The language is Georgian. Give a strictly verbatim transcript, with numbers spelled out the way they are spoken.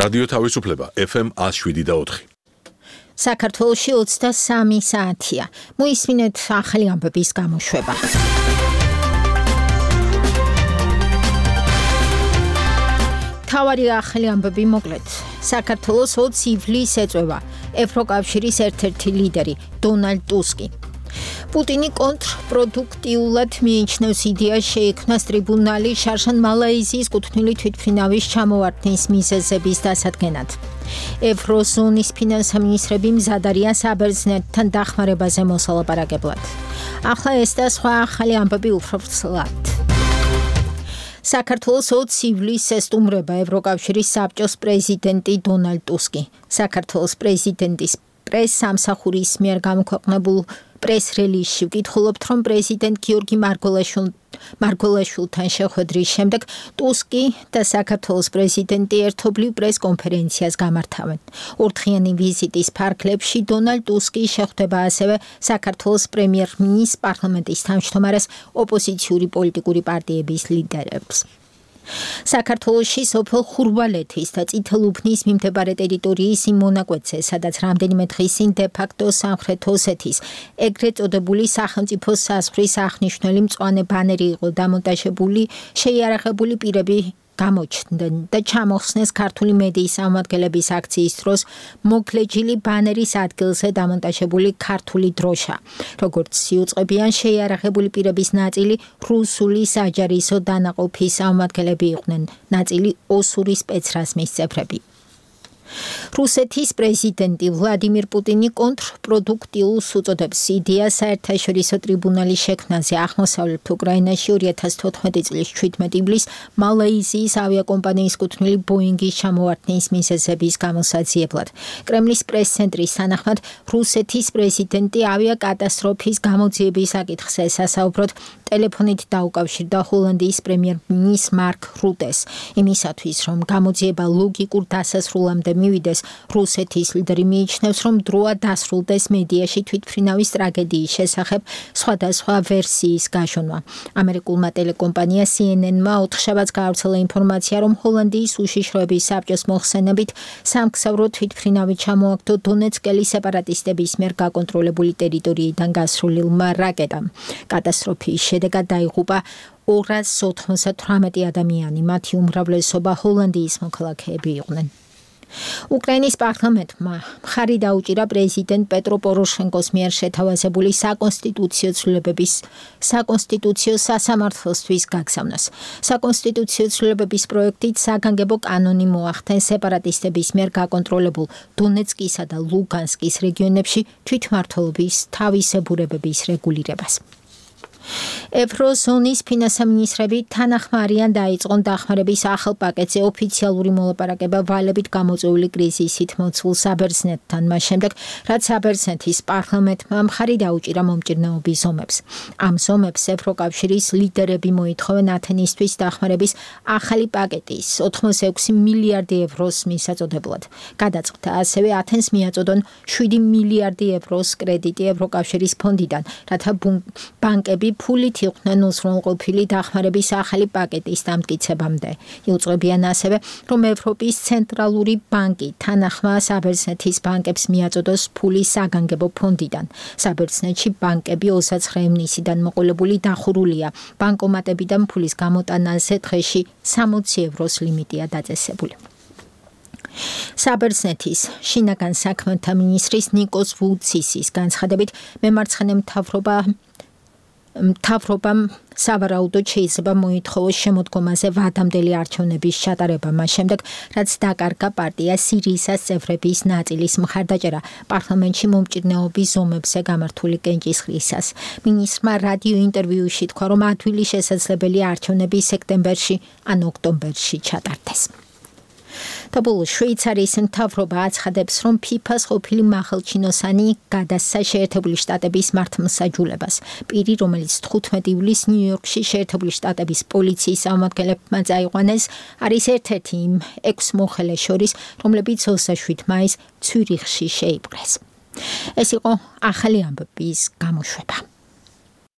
რადიო თავისუფლება F M one oh seven და four. საქართველოში ოცდასამი საათია. მოისმინეთ ახალი ამბების გამოშვება. თავარი ახალი ამბები მოკლედ. საქართველოს ოცი ივლისს ეწევა ევროკავშირის ერთ-ერთი ლიდერი დონალდ ტუსკი. პუტინი კონტრპროდუქტიულად მიიჩნევს იდეას შეიქმნას ტრიბუნალი შარშან მალაიზიის კუთვნილი თვითმფრინავის ჩამოვარდნის მიზეზების დასადგენად. ევროზონის ფინანსამინისტრები მზად არიან საბერძნეთთან დახმარებაზე მოსალაპარაკებლად. ახლა ეს და სხვა ახალი ამბები უფრო ვრცლად. საქართველოს ოცი ივლისს ესტუმრება ევროკავშირის საბჭოს პრეზიდენტი დონალდ ტუსკი. საქართველოს პრეზიდენტის პრეს-სამსახურის მიერ გამოქვეყნებულ პრეს-რელიზში ვკითხულობთ, რომ პრეზიდენტ გიორგი მარგველაშვილთან შეხვედრის შემდეგ ტუსკი და საქართველოს პრეზიდენტი ერთობლივ პრეს-კონფერენციას გამართავენ. ორდღიანი ვიზიტის ფარგლებში დონალდ ტუსკი შეხვდება ასევე საქართველოს პრემიერ-მინისტრს, პარლამენტის თავმჯდომარეს, ოპოზიციური პოლიტიკური პარტიების ლიდერებს. საქართველოში სოფელ ხურვალეთის და წითელუბნის მიმდებარე ტერიტორიის იმ მონაკვეთზე, სადაც რამდენიმე დღის წინ დე-ფაქტო სამხრეთ ოსეთის ეგრეთ წოდებული სახელმწიფო საზღვრის აღნიშნული მწვანე ბანერი იყო დამონტაჟებული, შეიარაღებული პირები გამოჩნდნენ და ჩამოხსნეს ქართული მედიის წარმომადგენლების აქციის დროს მოგლეჯილი ბანერის ადგილზე დამონტაჟებული ქართული დროშა. როგორც იუწყებიან, შეიარაღებული პირების ნაწილი რუსული საჯარისო დანაყოფის წარმომადგენლები იყვნენ, ნაწილი ოსური სპეცრაზმის წევრები. რუსეთის პრეზიდენტი ვლადიმირ პუტინი კონტრპროდუქტიულს უწოდებს იდეას საერთაშორისო ტრიბუნალის შექმნაზე აღმოსავლეთ უკრაინაში ორი ათას თოთხმეტი წლის ჩვიდმეტი ივლისს მალაიზიის ავიაკომპანიის კუთვნილი ბოინგის ჩამოვარდნის მიზეზების გამოსაძიებლად. კრემლის პრეს-ცენტრის თანახმად, რუსეთის პრეზიდენტი ავიაკატასტროფის გამოძიების საკითხზე სასაუბროდ ტელეფონით დაუკავშირდა ჰოლანდიის პრემიერ-მინისტრ მარკ რუტეს. იმისათვის, რომ გამოძიება ლოგიკურ დასასრულამდე მივიდეს, რუსეთის ლიდერი მიიჩნევს, რომ დროა დასრულდეს მედიაში თვითმფრინავის ტრაგედიის შესახებ სხვადასხვა ვერსიის გაჟონვა. ამერიკულმა ტელეკომპანია C N N-მა ოთხშაბათს გაავრცელა ინფორმაცია, რომ ჰოლანდიის უშიშროების საბჭოს მოხსენებით სამგზავრო თვითმფრინავი ჩამოაგდო დონეცკელის სეპარატისტების მიერ გაკონტროლებული ტერიტორიიდან გასრულილმა რაკეტამ. კატასტროფის შედეგად დაიღუპა ორას ოთხმოცდათვრამეტი ადამიანი, მათი უმრავლესობა ჰოლანდიის მოქალაქეები იყვნენ. უკრაინის პარლამენტმა მხარი დაუჭირა პრეზიდენტ პეტრო პოროშენკოს მიერ შეთავაზებული საკონსტიტუციო ცვლილებების საკონსტიტუციო სასამართლოსთვის გაგზავნას. საკონსტიტუციო ცვლილებების პროექტით საგანგებო კანონი მოახდენს სეპარატისტების მიერ გაკონტროლებულ დონეცკისა და ლუგანსკის რეგიონებში თვითმმართველობის თავისებურებების რეგულირებას. ევროზონის ფინანსამინისტრები თანახმარიან დაიწყონ დახმარების ახალ პაკეტზე ოფიციალური მოლაპარაკება ვალებით გამოწვეული კრიზისით მოცულ საბერძნეთთან, მას შემდეგ, რაც საბერძნეთის პარლამენტმა მხარი დაუჭირა მომჭირნეობის ზომებს. ამ ზომებს ევროკავშირის ლიდერები მოითხოვენ ათენისთვის დახმარების ახალი პაკეტის ოცდაექვსი მილიარდი ევროს მისაწოდებლად. გადაწყდა ასევე ათენს მიაწოდონ შვიდი მილიარდი ევროს კრედიტი ევროკავშირის ფონდიდან, რათა ბანკები ფულით იყვნენ უზრუნველყოფილი დახმარების ახალი პაკეტის დამტკიცებამდე. იუწყებიან ასევე, რომ ევროპის ცენტრალური ბანკი თანახმა საბერძნეთის ბანკებს მიაწოდოს ფული საგანგებო ფონდიდან. საბერძნეთში ბანკები ოცდაცხრე ივნისიდან მოყოლებული დახურულია. ბანკომატებიდან ფულის გამოტანაზე დღეში სამოცი ევროს ლიმიტია დაწესებული. საბერძნეთის შინაგან საქმეთა მინისტრის ნიკოს ვუცისის განცხადებით, მემარცხენე მთავრობა მთავრობამ სავარაუდოდ შეიძლება მოითხოვოს შემოდგომაზე ვადამდელი არჩევნების ჩატარება, მას შემდეგ, რაც დაკარგა პარტია სირიისას წევრების ნაწილის მხარდაჭერა პარლამენტში მომჭირნეობის ზომებზე გამართული კენჭისყრისას. მინისტრმა რადიო ინტერვიუში თქვა, რომ ადვილი შესაძლებელი არჩევნები სექტემბერში ან ოქტომბერში ჩატარდეს. Tabul შვეიცარიის მთავრობა აცხადებს, რომ ფიფას ყოფილი მაღალჩინოსანი გადასცა შეერთებული შტატების მართლმსაჯულებას. პირი, რომელიც თხუთმეტი ივლისს ნიუ-იორკში შეერთებული შტატების პოლიციის წარმომადგენლებმა წაიყვანეს, არის ერთ-ერთი იმ ექვს მოხელეს შორის, რომლებიც ოცდაშვიდ მაისს ცვირიხში შეიპყრეს. ეს იყო ახალი ამბების გამოშვება.